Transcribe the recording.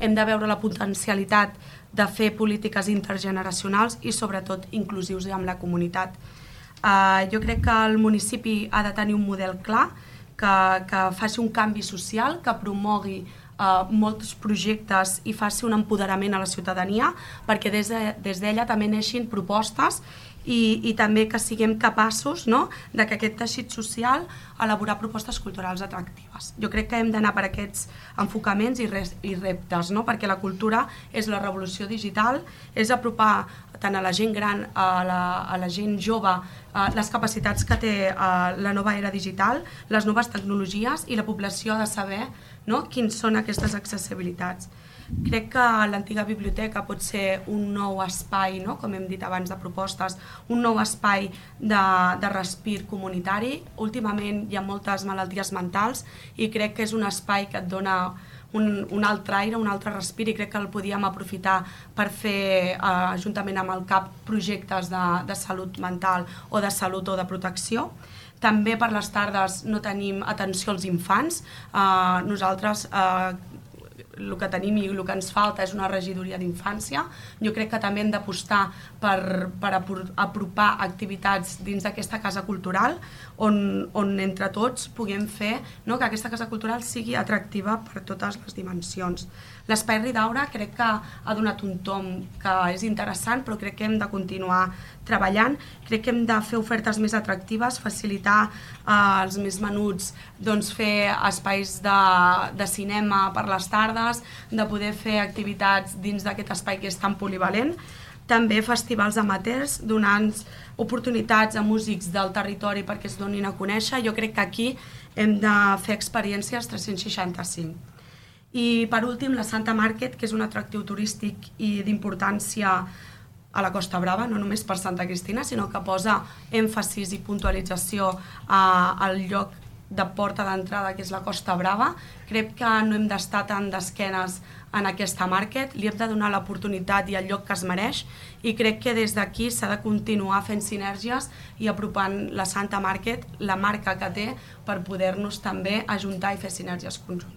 hem de veure la potencialitat de fer polítiques intergeneracionals i sobretot inclusius amb la comunitat. Jo crec que el municipi ha de tenir un model clar, que faci un canvi social, que promogui molts projectes i faci un empoderament a la ciutadania, perquè des d'ella també neixin propostes i també que siguem capaços de que aquest teixit social elaborar propostes culturals atractives. Jo crec que hem d'anar per aquests enfocaments i reptes, perquè la cultura és la revolució digital, és apropar tant a la gent gran, a la gent jove, les capacitats que té la nova era digital, les noves tecnologies, i la població ha de saber quins són aquestes accessibilitats. Crec que l'antiga biblioteca pot ser un nou espai, com hem dit abans, de propostes, un nou espai de respir comunitari. Últimament hi ha moltes malalties mentals i crec que és un espai que et dona un altre aire, un altre respir, i crec que el podíem aprofitar per fer, juntament amb el CAP, projectes de salut mental o de salut o de protecció. També per les tardes no tenim atenció als infants. Nosaltres el que tenim i el que ens falta és una regidoria d'infància. Jo crec que també hem d'apostar per apropar activitats dins d'aquesta casa cultural on entre tots puguem fer que aquesta casa cultural sigui atractiva per totes les dimensions. L'Espai Ridaura crec que ha donat un tomb que és interessant, però crec que hem de continuar treballant. Crec que hem de fer ofertes més atractives, facilitar als més menuts fer espais de cinema per les tardes, de poder fer activitats dins d'aquest espai que és tan polivalent. També festivals amateurs, donant oportunitats a músics del territori perquè es donin a conèixer. Jo crec que aquí hem de fer experiències 365. I per últim, la Santa Market, que és un atractiu turístic i d'importància a la Costa Brava, no només per Santa Cristina, sinó que posa èmfasis i puntualització al lloc de porta d'entrada, que és la Costa Brava. Crec que no hem d'estar tan d'esquenes en aquesta market, li hem de donar l'oportunitat i el lloc que es mereix, i crec que des d'aquí s'ha de continuar fent sinergies i apropant la Santa Market, la marca que té, per poder-nos també ajuntar i fer sinergies conjuntes.